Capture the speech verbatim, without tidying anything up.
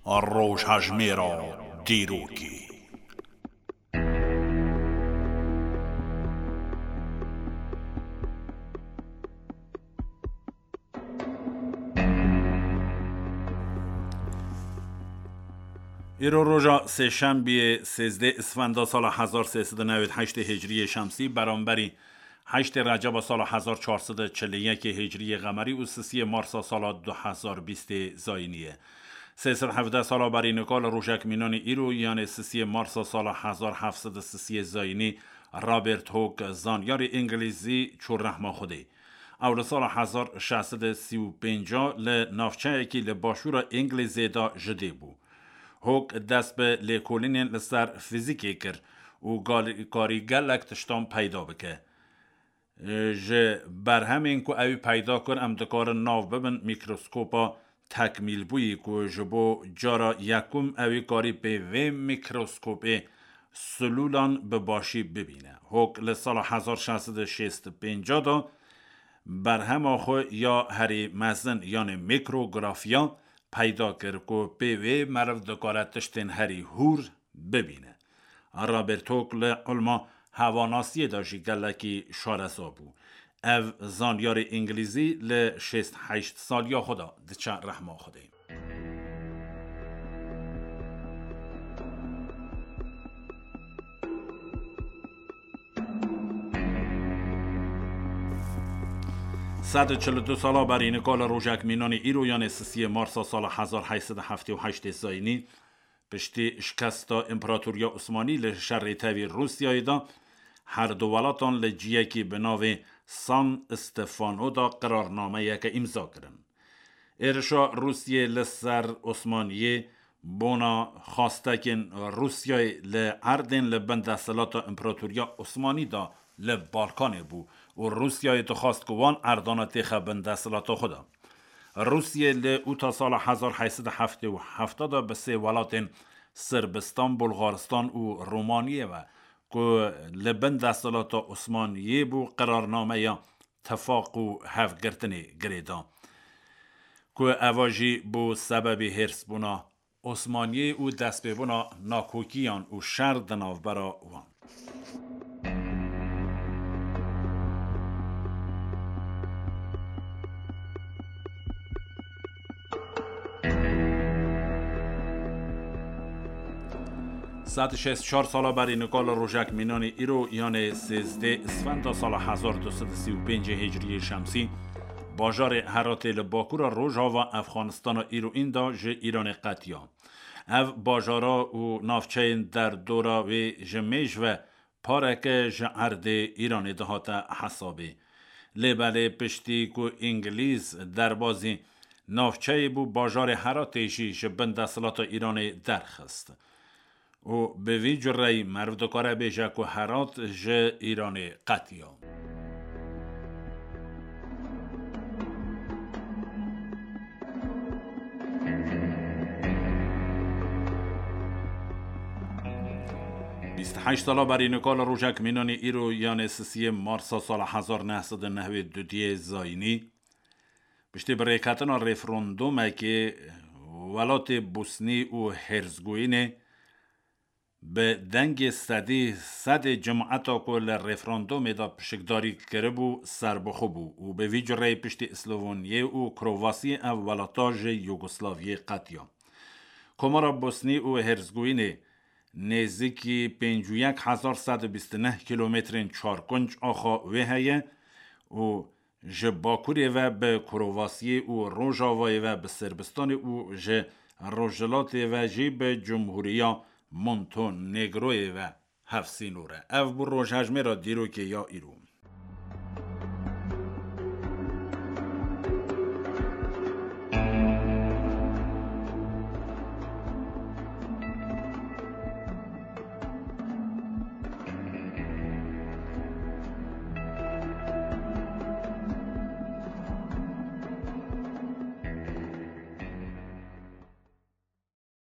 Rojhejmêra dîrokê. Îro roja sêşembiyê, sêzdeh Isfenda sala hezar sê sed û newêd heştê Hicriyê Şemsî, beramberî heştê Receba sala hezar çar sed û çil û yekê Hicriyê Qemerî û sisiyê Marsa sala du hezar bîstê Zayînî ye. Sê sed hevdeh sala berî nika li rojek mînanî îro, yanê sisiyê Marsa sala hezar heft sed û sisiyê Zayînî, Robert Hooke, zanyarê Îngilîzî, çû rehma Xwedê. Ew li sala hezar şeş sed û sî û pênc li navçeyekî li başûra Îngilîzê de ji dê bû. Hooke dest bi lêkolînên li ser fîzîkê kir û gal-, karî gelek tiştan peyda bike. Ji berhemên ku ew peyda kir, em dikarin nav bibin mîkroskopa tekmîlbûyî, ku ji bo cara yekum ewî karî pê vê mîkroskopê silûlan bi başî bibîne. Hooke li sala hezar şeş sed û şêst û pênc de berhema xwe ya herî mezin, yanê mîkrografiya, peyda kir, ku pê wê meriv dikare tiştên herî hûr bibîne. Robert Hooke li ilma hewanasiyê de jî gelekî şareza bû. Ev zanyarê Îngilîzî li şêst heşt saliya xwe de diçe rehma Xwedê. Sed û çil û du sala berî nika li rojek mînanî îro, yanê sisiyê Marsa sala hezar heşt sed û heftê û heştê Zayînî, piştî şikesta Împaratoriya Osmanî li şerê tevî Rûsyayê de, her du welatan li ciyekî bi navê San Stefano de qirarnameyeke îmza kirin. Êrişa Rûsyê li ser Osmaniyê bona xwastekên Rûsyayê li erdên li bin desthilata Împaratoriya Osmanî de li Balkanê bû û Rûsyayê dixwast ku wan erdana têxe bin desthilata xwe de. Rûsyê li ûta sala hezar heşt sed û heftê û heft de bi sê welatên Sirbistan, Bulgaristan û Romaniyê ve ku li bin desthilata Osmaniyê bû, qirarnameya tifaq û hevgirtinê girê da, ku eva jî bû sebebê hêrsbûna Osmaniyê û destpêbûna nakokiyan û şer di navbera wan. Sed û şêst û çar sala berî nika li rojek mînanî îro, yanê sêzdeh Isfenda sala hezar du sed û sî û pêncê Hicriyê Şemsî, bajarê Heratê li bakura rojava Efxanistana îroîn de ji Îranê qetiya. Ev bajara û navçeyên derdora wê ji mêj ve pareke ji erdê Îranê dihate hesabê. Lê belê piştî ku Îngilîz derbazî navçeyê bû, bajarê Heratê jî ji bin desthilata Îranê derxist. Û bi vî cureyî meriv dikare bêje ku Herat ji Îranê qetiya. Bîst û heşt sala berî nika li rojek mînanî îro, yanê sisiyê Marsa sala hezar neh sed û nehwê dudiyê Zayînî, piştî birêketina referandûmekê, welatê Bosnî û Herzegoyînê bi dengê sedî sedê cemaeta ku li referandûmê de pişikdarî kiribû serbixwe bû û bi vî cureyê piştî Slovonyê û Krovasyê ev welata ji Yugoslaviyê qetiya. Komara Bosnî û Herzegoyînê nêzîkî pêncî û yek hezar sed û bîst û neh kîlometrên çarkunc axa wê heye û ji bakurê ve bi Krovasyê û rojavayê ve bi Sirbistanê û ji rojhilatê ve jî bi Cumhuriya Montenegroyê ve hevsînor e. Ev bû rojhejmêra dîrokê ya îro.